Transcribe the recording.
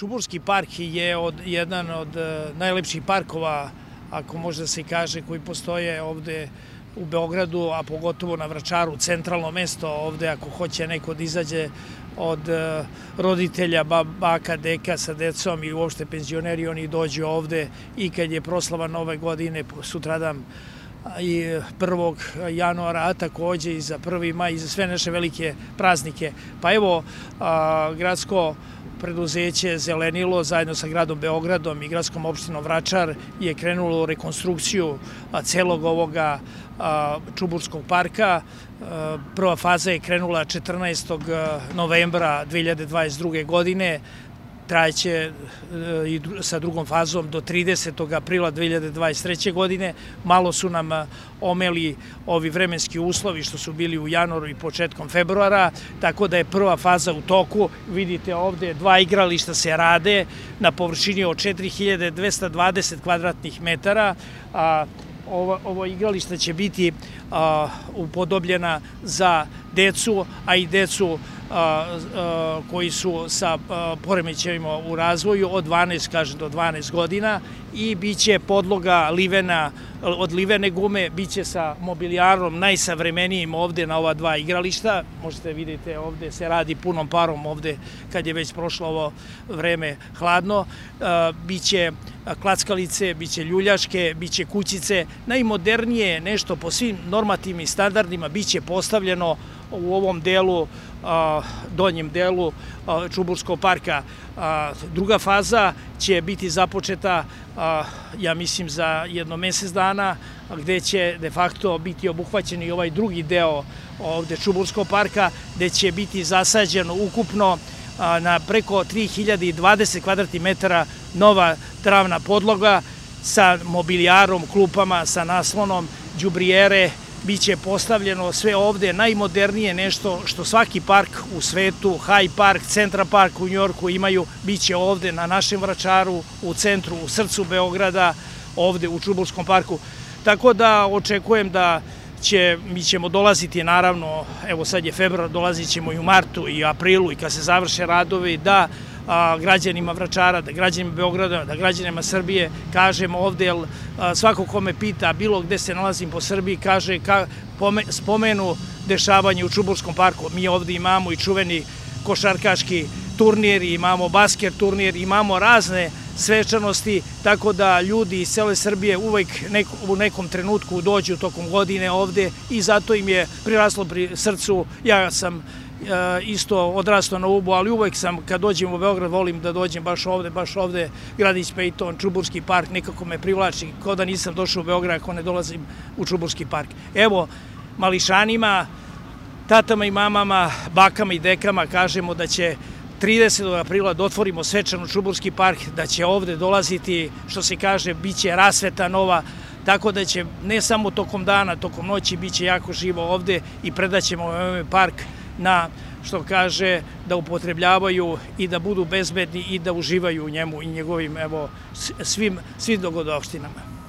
Čuburski park je jedan od najlepših parkova, ako može da se kaže, koji postoje ovde u Beogradu, a pogotovo na Vračaru, centralno mesto ovde, ako hoće neko da izađe od roditelja, baka, deka sa decom i uopšte penzioneri, oni dođu ovde i kad je proslava Nove godine, sutradan i 1. januara, a takođe i za 1. maj i za sve naše velike praznike. Pa evo, gradsko preduzeće Zelenilo zajedno sa gradom Beogradom i gradskom opštinom Vračar je krenulo u rekonstrukciju celog ovoga Čuburskog parka. Prva faza je krenula 14. novembra 2022. godine, trajeće i sa drugom fazom do 30. aprila 2023. godine. Malo su nam omeli ovi vremenski uslovi što su bili u januaru i početkom februara, tako da je prva faza u toku. Vidite ovde 2 igrališta se rade na površini od 4220 kvadratnih metara. Ovo igralište će biti upodobljena za decu, a i decu koji su sa poremećajima u razvoju od 12, do 12 godina, i biće podloga od livene gume, biće sa mobilijarom najsavremenijim ovde na ova 2 igrališta. Možete vidjeti ovde se radi punom parom ovde kad je već prošlo ovo vreme hladno. Biće klackalice, biće ljuljaške, biće kućice. Najmodernije nešto po svim normativnim standardima biće postavljeno u ovom delu, donjem delu Čuburskog parka. Druga faza će biti započeta, ja mislim, za jedno mesec dana, gde će de facto biti obuhvaćen i ovaj drugi deo ovde Čuburskog parka, gde će biti zasađeno ukupno na preko 3020 kvadratnih metara nova travna podloga sa mobilijarom, klupama, sa naslonom, đubrijere. Biće postavljeno sve ovde najmodernije nešto što svaki park u svetu, Hyde Park, Central Park u Njujorku imaju, biće ovde na našem Vračaru, u centru, u srcu Beograda, ovde u Čuburskom parku. Tako da očekujem da mi ćemo dolaziti, naravno, evo sad je februar, dolazit ćemo i u martu i aprilu i kad se završe radovi, da građanima Vračara, da građanima Beograda, da građanima Srbije kažemo ovde, jer svako ko me pita bilo gde se nalazim po Srbiji, kaže, spomenu dešavanje u Čuburskom parku. Mi ovde imamo i čuveni košarkaški turnir, imamo basket turnir, imamo razne svečanosti, tako da ljudi iz cele Srbije uvek u nekom trenutku dođu tokom godine ovde i zato im je priraslo pri srcu. Ja sam isto odrastao na Ubu, ali uvek sam, kad dođem u Beograd, volim da dođem baš ovde, Gradić Pejton, Čuburski park, nekako me privlači, kao da nisam došao u Beograd ako ne dolazim u Čuburski park. Evo, mališanima, tatama i mamama, bakama i dekama kažemo da će 30. aprila da otvorimo svečano Čuburski park, da će ovde dolaziti, što se kaže, bit će rasveta nova, tako da će ne samo tokom dana, tokom noći bit će jako živo ovde i predaćemo ovaj park na, što kaže, da upotrebljavaju i da budu bezbedni i da uživaju u njemu i njegovim, evo, svim dogodovštinama.